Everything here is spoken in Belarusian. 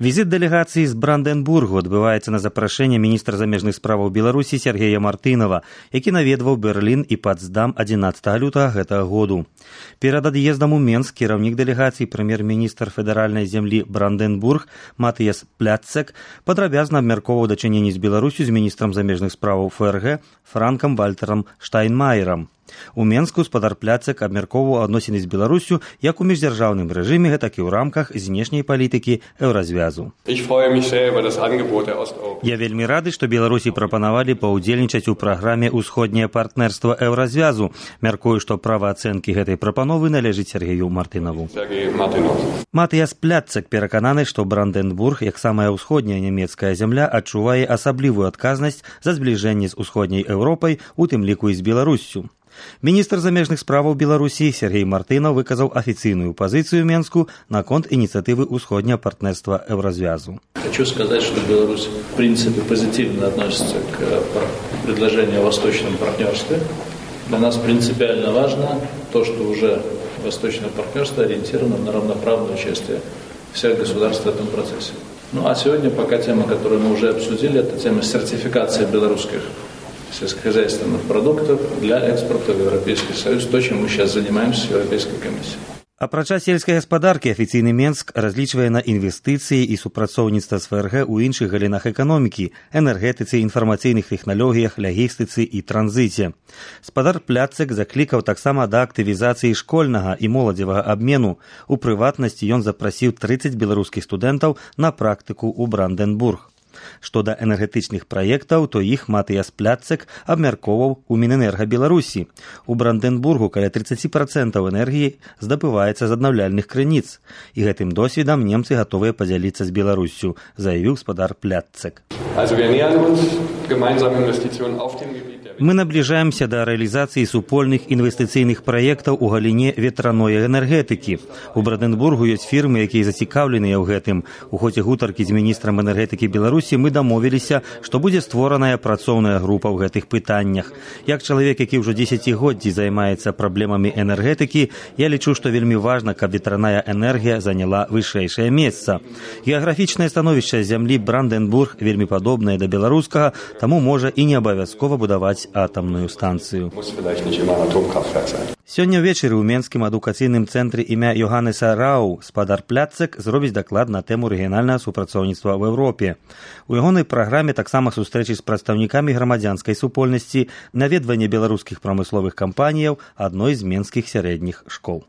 Візит дэлегацыі з Бранденбургу адбываецца на запрашэнне міністра замежных справаў Беларусі Сергея Мартынова, які наведваў Берлін і Потсдам 11 лютага гэтага году. Перад ад'ездам у Менск кіраўнік дэлегацыі прэм'ер-міністр федэральнай зямлі Бранденбург Матыяс Пляцек падрабязна абмяркоўваў дачыненні з Беларусю з міністрам замежных справаў ФРГ Франкам Вальтэрам Штайнмаерам. У Менску спадар Пляцек абмяркоўваў адносіны з Беларусю як у міждзяржаўным рэжыме, так і ў рамках знешняй палітыкі Еўразвязу. Я вельмі рады, што Беларусі прапанавалі паўдзельнічаць у праграме «Усходняе партнерства Еўразвязу». Мяркую, што права ацэнкі гэтай прапановы належыць Сергею Мартынову. Матыяс Пляцек перакананы, што Бранденбург, як самая ўсходняя нямецкая зямля, адчувае асаблівую адказнасць за збліжэнне з усходняй Еўропай, у тым ліку і з Беларуссю. Міністр замежных справаў Беларусі Сергей Мартынов выказаў афіцыйную пазіцыю Менску наконт инициативы «Усходнее партнерство Евразвязу». Хочу сказать, что Беларусь в принципе позитивно относится к предложению о восточном партнерстве. Для нас принципиально важно то, что уже восточное партнерство ориентировано на равноправное участие всех государств в этом процессе. Ну а сегодня пока тема, которую мы уже обсудили, это тема сертификации белорусских сельскохозяйственных продуктов для экспорта в Европейский Союз, то, чем мы сейчас занимаемся в Европейской комиссии. Апрача сельскай гаспадаркі, афіцыйны Менск разлічвае на інвестыцыі і супрацоўніцтва з ФРГ у іншых галінах эканомікі, энергетыцы, інфармацыйных тэхналогіях, лагістыцы і транзіце. Спадар Пляцек заклікаў таксама да актывізацыі школьнага і моладзевага абмену. У прыватнасці ён запрасіў 30 беларускіх студэнтаў на практыку ў Бранденбург. Што да энергетычных праектаў, то іх Матыяс Пляцек абмяркоўваў у Мінэнерга Беларусі. У Бранденбургу каля 30% энергіі здабываецца з аднаўляльных крыніц. І гэтым досведам немцы гатовыя падзяліцца з Беларуссю, заявіў спадар Пляцек. Мы наближаемся до реализации супольных инвестиционных проектов у галіне ветраной энергетики. У Бранденбургу есть фирмы, якія зацікаўленыя ў гэтым. У хоце гутаркі з міністрам энергетики Беларусі мы дамовіліся, што будзе створаная працоўная група ў гэтых пытаннях. Як чалавек, які ўжо 10годдзі займаецца праблемамі энергетики, я лічу, што вельмі важна, каб ветраная энергія заняла вышэйшае месца. Геаграфічнае становішча зямлі Бранденбург вельмі падобнае да беларускага, таму можа і не абавязкова будаваць атомную станцию. Сёння ўвечары ў Менскім адукацыйным цэнтры імя Йоханнеса Рау спадар Пляцек зробіць даклад на тэму рэгіянальнага супрацоўніцтва ў Еўропе. У ягонай праграме таксама сустрэчы з прадстаўнікамі грамадзянскай супольнасці, наведванне беларускіх прамысловых кампаніяў адной з менскіх сярэдніх школ.